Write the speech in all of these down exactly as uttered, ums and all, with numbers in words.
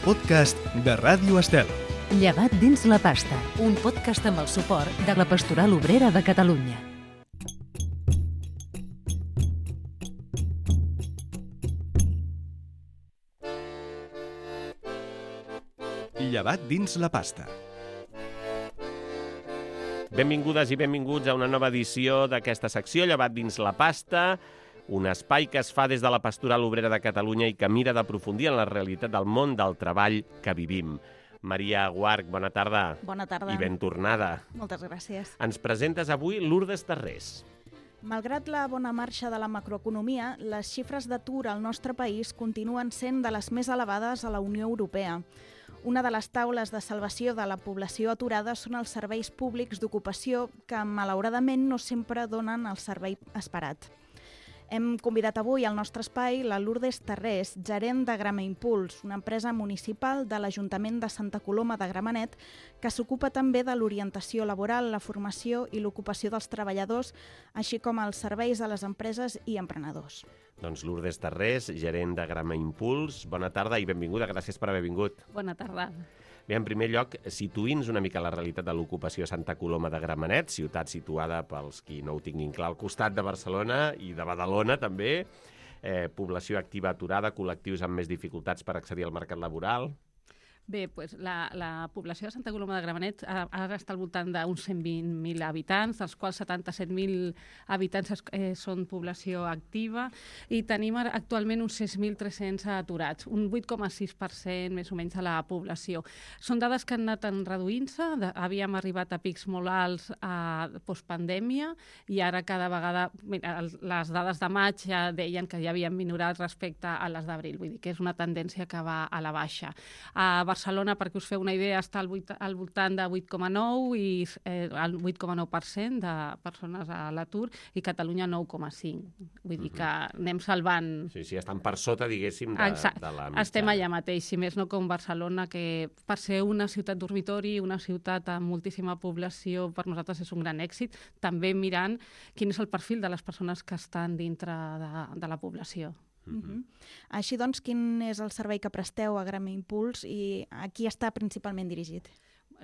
podcast de Ràdio Estel. Llevat dins la pasta, un podcast amb el suport de la Pastoral Obrera de Catalunya. Llevat dins la pasta. Benvingudes i benvinguts a una nova edició d'aquesta secció, Llevat dins la pasta, un espai que es fa des de la Pastoral Obrera de Catalunya i que mira d'aprofundir en la realitat del món del treball que vivim. Maria Guarch, bona tarda. Bona tarda. I ben tornada. Moltes gràcies. Ens presentes avui Lourdes Tarrés. Malgrat la bona marxa de la macroeconomia, les xifres d'atur al nostre país continuen sent de les més elevades a la Unió Europea. Una de les taules de salvació de la població aturada són els serveis públics d'ocupació que, malauradament, no sempre donen el servei esperat. Hem convidat avui al nostre espai la Lourdes Tarrés, gerent de Grama Impuls, una empresa municipal de l'Ajuntament de Santa Coloma de Gramenet, que s'ocupa també de l'orientació laboral, la formació i l'ocupació dels treballadors, així com els serveis a les empreses i emprenedors. Doncs Lourdes Tarrés, gerent de Grama Impuls, bona tarda i benvinguda, gràcies per haver vingut. Bona tarda. Bé, en primer lloc, situïns una mica la realitat de l'ocupació a Santa Coloma de Gramenet, ciutat situada, pels qui no ho tinguin clar, al costat de Barcelona i de Badalona també, eh, població activa aturada, col·lectius amb més dificultats per accedir al mercat laboral. Bé, doncs la, la població de Santa Coloma de Gramenet ara està al voltant d'uns cent vint mil habitants, dels quals setanta-set mil habitants eh, són població activa i tenim actualment uns sis mil tres-cents aturats, un vuit coma sis per cent més o menys de la població. Són dades que han anat reduint-se, havíem arribat a pics molt alts a postpandèmia i ara cada vegada, mira, les dades de maig ja deien que ja havien minorat respecte a les d'abril, vull dir que és una tendència que va a la baixa. A Barcelona, perquè us feu una idea, està al, vuit, al voltant de vuit coma nou i eh, el vuit coma nou per cent de persones a l'atur i Catalunya nou coma cinc. Vull dir que anem salvant... Sí, sí, estan per sota, diguéssim, de, de la mitjana. Estem allà mateix, si més no com Barcelona, que per ser una ciutat dormitori, una ciutat amb moltíssima població, per nosaltres és un gran èxit, també mirant quin és el perfil de les persones que estan dintre de, de la població. Uh-huh. Així doncs, quin és el servei que presteu a Grama Impuls i a qui està principalment dirigit?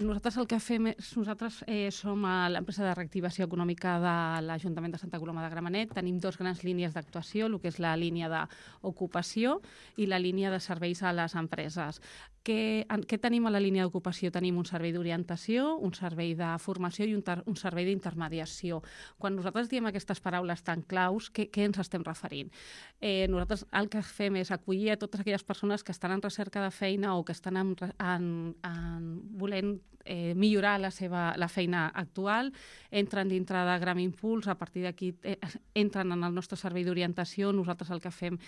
Nosaltres el que fem és, nosaltres eh, som a l'empresa de reactivació econòmica de l'Ajuntament de Santa Coloma de Gramenet. Tenim dos grans línies d'actuació, el que és la línia d'ocupació i la línia de serveis a les empreses. Què, en, què tenim a la línia d'ocupació? Tenim un servei d'orientació, un servei de formació i un, ter, un servei d'intermediació. Quan nosaltres diem aquestes paraules tan claus, què, què ens estem referint? Eh, nosaltres el que fem és acollir a totes aquelles persones que estan en recerca de feina o que estan en, en, en volent Eh, millorar la seva la feina actual, entren dintre de Grama Impuls, a partir d'aquí eh, entren en el nostre servei d'orientació. Nosaltres el que fem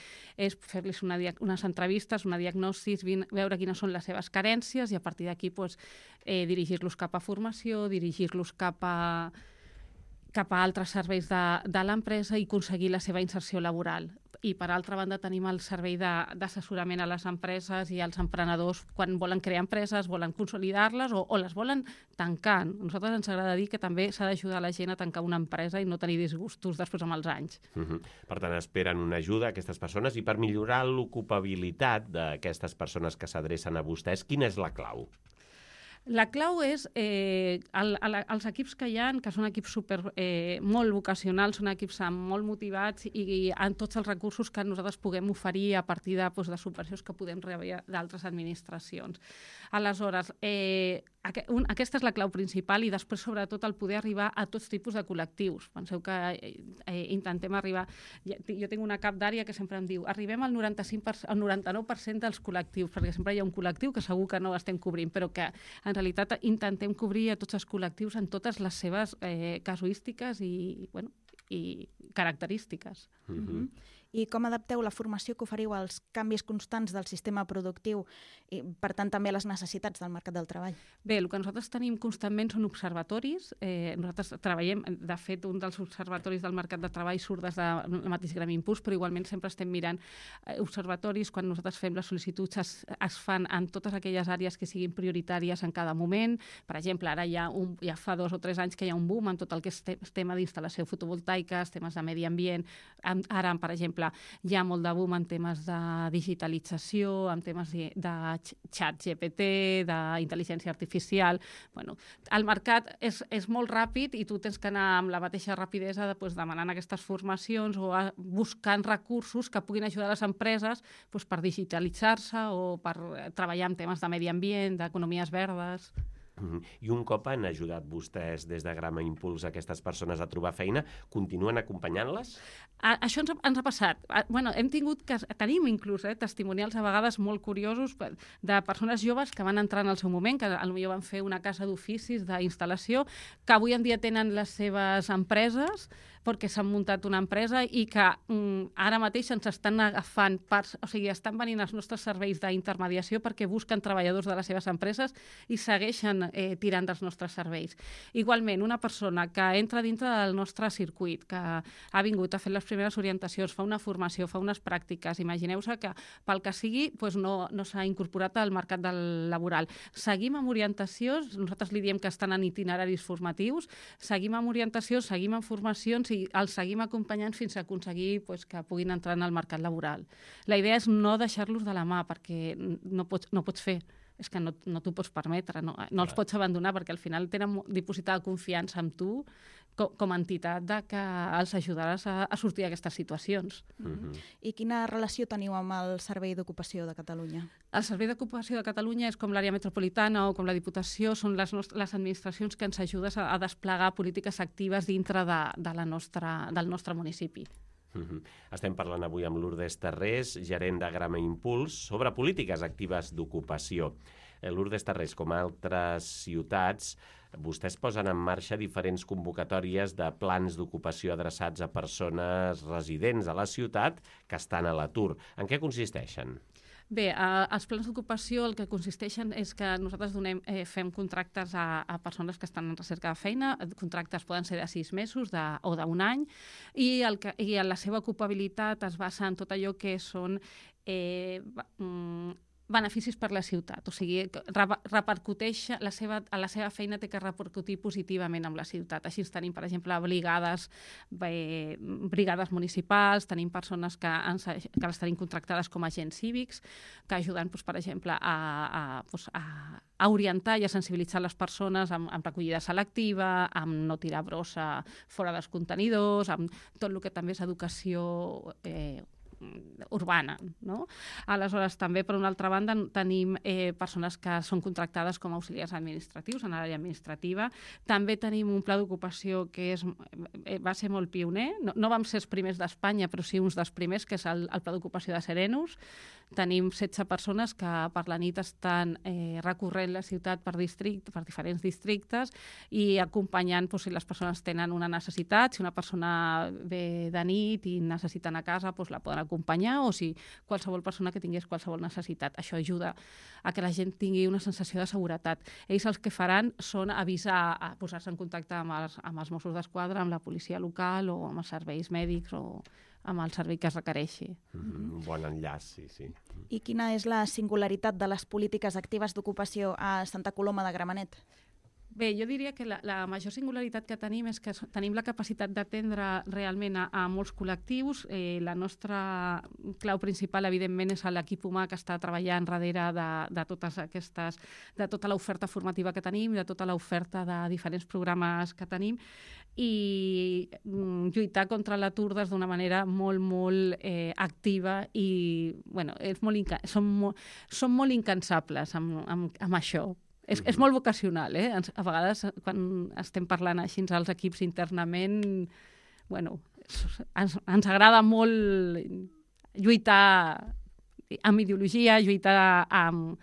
és fer-los una unes entrevistes, una diagnosis, veure quines són les seves carències i a partir d'aquí pues, eh, dirigir-los cap a formació, dirigir-los cap a cap a altres serveis de, de l'empresa i aconseguir la seva inserció laboral. I per altra banda tenim el servei d'assessorament a les empreses i als emprenedors quan volen crear empreses, volen consolidar-les o, o les volen tancar. A nosaltres ens agrada dir que també s'ha d'ajudar la gent a tancar una empresa i no tenir disgustos després amb els anys. Uh-huh. Per tant, esperen una ajuda a aquestes persones i per millorar l'ocupabilitat d'aquestes persones que s'adrecen a vostès, quina és la clau? La clau és eh, el, el, els equips que hi ha, que són equips super, eh, molt vocacionals, són equips molt motivats i, i en tots els recursos que nosaltres puguem oferir a partir de, doncs, de subvencions que podem rebre d'altres administracions. Aleshores, eh, aqu un, aquesta és la clau principal i després, sobretot, el poder arribar a tots tipus de col·lectius. Penseu que eh, intentem arribar... Jo tinc una cap d'àrea que sempre em diu arribem al noranta-cinc per cent, al noranta-nou per cent dels col·lectius, perquè sempre hi ha un col·lectiu que segur que no estem cobrint, però que en realitat intentem cobrir a tots els col·lectius en totes les seves eh, casuístiques i, bueno, i característiques. Uh-huh. I com adapteu la formació que oferiu als canvis constants del sistema productiu i, per tant, també a les necessitats del mercat del treball? Bé, el que nosaltres tenim constantment són observatoris. Eh, nosaltres treballem, de fet, un dels observatoris del mercat de treball surt des del mateix Grama Impuls, però igualment sempre estem mirant eh, observatoris. Quan nosaltres fem les sol·licituds es, es fan en totes aquelles àrees que siguin prioritàries en cada moment. Per exemple, ara hi ha un, ja fa dos o tres anys que hi ha un boom en tot el que és tema d'instal·lació fotovoltaica, temes de medi ambient. Ara, per exemple, exemple, hi ha molt de boom en temes de digitalització, en temes de xat G P T, d'intel·ligència artificial. Bueno, el mercat és, és molt ràpid i tu tens que anar amb la mateixa rapidesa de, pues, demanant aquestes formacions o a, buscant recursos que puguin ajudar les empreses pues, per digitalitzar-se o per treballar en temes de medi ambient, d'economies verdes. I un cop han ajudat vostès des de Grama Impuls a aquestes persones a trobar feina, continuen acompanyant-les? A, això ens ha, ens ha passat. A, bueno, hem tingut que, tenim inclús eh, testimonials a vegades molt curiosos de persones joves que van entrar en el seu moment, que potser van fer una casa d'oficis d'instal·lació, que avui en dia tenen les seves empreses, perquè s'han muntat una empresa i que mm, ara mateix ens estan agafant parts, o sigui, estan venint els nostres serveis d'intermediació perquè busquen treballadors de les seves empreses i segueixen eh, tirant dels nostres serveis. Igualment, una persona que entra dintre del nostre circuit, que ha vingut a fer les primeres orientacions, fa una formació, fa unes pràctiques, imagineu-se que pel que sigui doncs no, no s'ha incorporat al mercat del laboral. Seguim amb orientacions, nosaltres li diem que estan en itineraris formatius, seguim amb orientacions, seguim amb formacions i els seguim acompanyant fins a aconseguir pues, que puguin entrar en el mercat laboral. La idea és no deixar-los de la mà, perquè no pots, no pots fer. És que no, no t'ho pots permetre, no, no els pots abandonar, perquè al final tenen dipositada confiança en tu com, com a entitat de que els ajudaràs a, a sortir d'aquestes situacions. Mm-hmm. I quina relació teniu amb el Servei d'Ocupació de Catalunya? El Servei d'Ocupació de Catalunya és com l'àrea metropolitana o com la Diputació, són les, les administracions que ens ajuden a, a desplegar polítiques actives dintre de, de la nostra, del nostre municipi. Uh-huh. Estem parlant avui amb Lourdes Tarrés, gerent de Grama Impuls, sobre polítiques actives d'ocupació. Eh, Lourdes Tarrés, com a altres ciutats, vostès posen en marxa diferents convocatòries de plans d'ocupació adreçats a persones residents a la ciutat que estan a l'atur. En què consisteixen? Bé, eh, els plans d'ocupació el que consisteixen és que nosaltres donem, eh, fem contractes a, a persones que estan en recerca de feina, contractes poden ser de sis mesos de, o d'un any, i, el que, i la seva ocupabilitat es basa en tot allò que són eh, mm, beneficis per la ciutat, o sigui, repercuteix, la seva, a la seva feina té que repercutir positivament amb la ciutat. Així tenim, per exemple, brigades, bé, brigades municipals, tenim persones que, ens, que les tenim contractades com a agents cívics, que ajuden, doncs, per exemple, a, a, doncs, a, a orientar i a sensibilitzar les persones amb, amb recollida selectiva, amb no tirar brossa fora dels contenidors, amb tot el que també és educació eh, urbana, no? Aleshores, també, per una altra banda, tenim eh, persones que són contractades com a auxiliars administratius en l'àrea administrativa. També tenim un pla d'ocupació que és, eh, va ser molt pioner. No, no vam ser els primers d'Espanya, però sí uns dels primers, que és el, el pla d'ocupació de Serenus. Tenim setze persones que per la nit estan eh, recorrent la ciutat per, district, per diferents districtes i acompanyant doncs, si les persones tenen una necessitat, si una persona ve de nit i necessita anar a casa, doncs la poden acompanyar, o si qualsevol persona que tingués qualsevol necessitat. Això ajuda a que la gent tingui una sensació de seguretat. Ells els que faran són avisar, a posar-se en contacte amb els, amb els Mossos d'Esquadra, amb la policia local o amb els serveis mèdics o amb el servei que es requereixi. Mm-hmm. Un bon enllaç, sí, sí. I quina és la singularitat de les polítiques actives d'ocupació a Santa Coloma de Gramenet? Bé, jo diria que la, la major singularitat que tenim és que tenim la capacitat d'atendre realment a, a molts col·lectius. Eh, la nostra clau principal, evidentment, és l'equip humà que està treballant darrere de, de totes aquestes, de tota l'oferta formativa que tenim, de tota l'oferta de diferents programes que tenim, i mm, lluitar contra l'atur des d'una manera molt, molt eh, activa i, bueno, és molt inca- som, mo- som molt incansables amb, amb, amb això. És, és molt vocacional, eh? A vegades, quan estem parlant així als equips internament, bueno, ens, ens agrada molt lluitar amb ideologia, lluitar amb,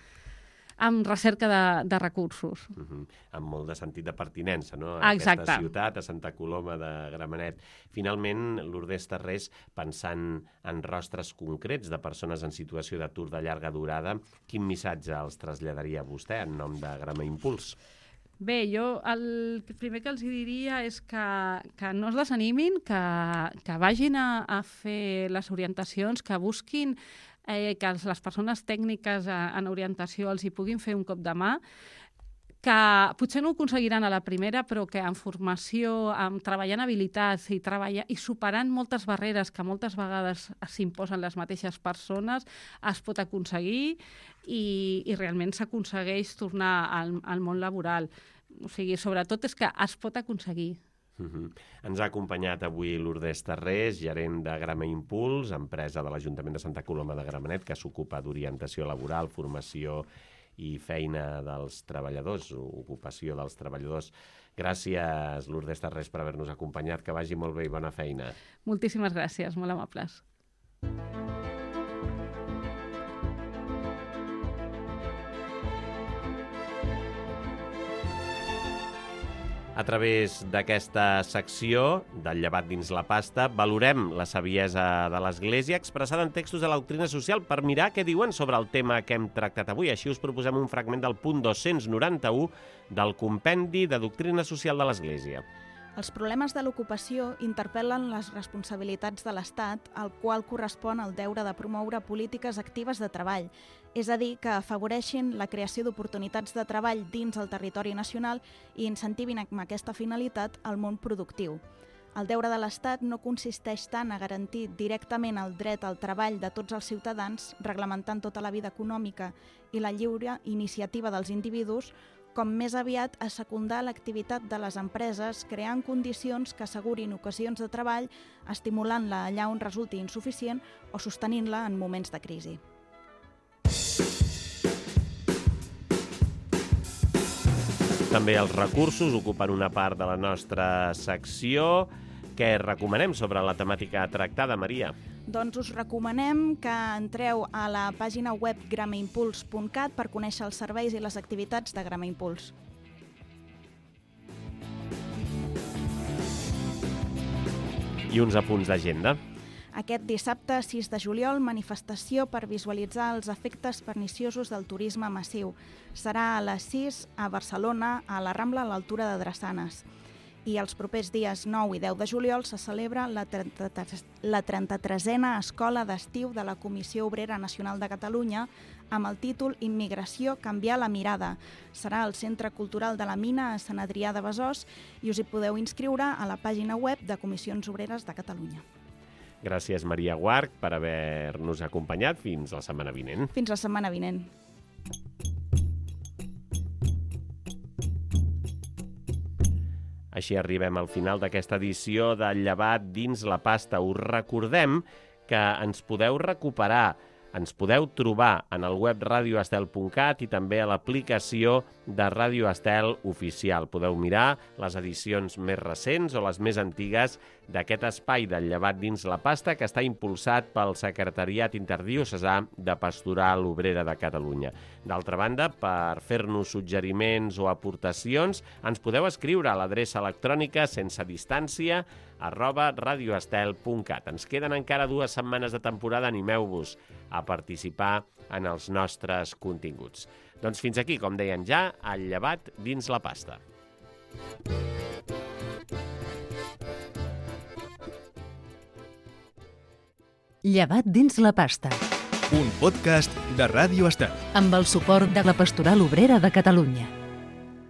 amb recerca de, de recursos. Uh-huh. Amb molt de sentit de pertinença, no? Ah, a aquesta exacte. ciutat, a Santa Coloma de Gramenet. Finalment, Lourdes Tarrés, pensant en rostres concrets de persones en situació d'atur de llarga durada, quin missatge els traslladaria vostè en nom de Grama Impuls? Bé, jo el primer que els diria és que, que no es desanimin, que, que vagin a, a fer les orientacions, que busquin eh, que les persones tècniques en orientació els hi puguin fer un cop de mà, que potser no ho aconseguiran a la primera, però que en formació, amb treballant habilitats i, treballar, i superant moltes barreres que moltes vegades s'imposen les mateixes persones, es pot aconseguir i, i realment s'aconsegueix tornar al, al món laboral. O sigui, sobretot és que es pot aconseguir. Uh-huh. Ens ha acompanyat avui Lourdes Tarrés, gerent de Grama Impuls, empresa de l'Ajuntament de Santa Coloma de Gramenet, que s'ocupa d'orientació laboral, formació i feina dels treballadors, ocupació dels treballadors. Gràcies, Lourdes Tarrés, per haver-nos acompanyat. Que vagi molt bé i bona feina. Moltíssimes gràcies, molt amables. A través d'aquesta secció del llevat dins la pasta, valorem la saviesa de l'Església expressada en textos de la doctrina social per mirar què diuen sobre el tema que hem tractat avui. Així us proposem un fragment del punt dos-cents noranta-u del Compendi de Doctrina Social de l'Església. Els problemes de l'ocupació interpel·len les responsabilitats de l'Estat, al qual correspon el deure de promoure polítiques actives de treball, és a dir, que afavoreixin la creació d'oportunitats de treball dins el territori nacional i incentivin amb aquesta finalitat el món productiu. El deure de l'Estat no consisteix tant a garantir directament el dret al treball de tots els ciutadans, reglamentant tota la vida econòmica i la lliure iniciativa dels individus, com més aviat a secundar l'activitat de les empreses, creant condicions que assegurin ocasions de treball, estimulant-la allà on resulti insuficient o sostenint-la en moments de crisi. També els recursos ocupen una part de la nostra secció. Què recomanem sobre la temàtica tractada, Maria? Doncs us recomanem que entreu a la pàgina web gramaimpuls punt cat per conèixer els serveis i les activitats de Grama Impuls. I uns apunts d'agenda. Aquest dissabte, sis de juliol, manifestació per visualitzar els efectes perniciosos del turisme massiu. Serà a les sis a Barcelona, a la Rambla, a l'altura de Drassanes. I els propers dies nou i deu de juliol se celebra la trenta-tresena Escola d'Estiu de la Comissió Obrera Nacional de Catalunya amb el títol Immigració, canviar la mirada. Serà al Centre Cultural de la Mina a Sant Adrià de Besòs i us hi podeu inscriure a la pàgina web de Comissions Obreres de Catalunya. Gràcies, Maria Guarch, per haver-nos acompanyat. Fins la setmana vinent. Fins la setmana vinent. Així arribem al final d'aquesta edició del Llevat dins la pasta. Us recordem que ens podeu recuperar, ens podeu trobar en el web radio estel punt cat i també a l'aplicació de Ràdio Estel Oficial. Podeu mirar les edicions més recents o les més antigues d'aquest espai del Llevat dins la pasta que està impulsat pel Secretariat Interdiocesà de Pastoral Obrera de Catalunya. D'altra banda, per fer-nos suggeriments o aportacions, ens podeu escriure a l'adreça electrònica sense distància arroba radioestel punt cat. Ens queden encara dues setmanes de temporada, animeu-vos a participar en els nostres continguts. Doncs fins aquí, com deien ja, el Llevat dins la pasta. Llevat dins la pasta. Un podcast de Ràdio Estel. Amb el suport de la Pastoral Obrera de Catalunya.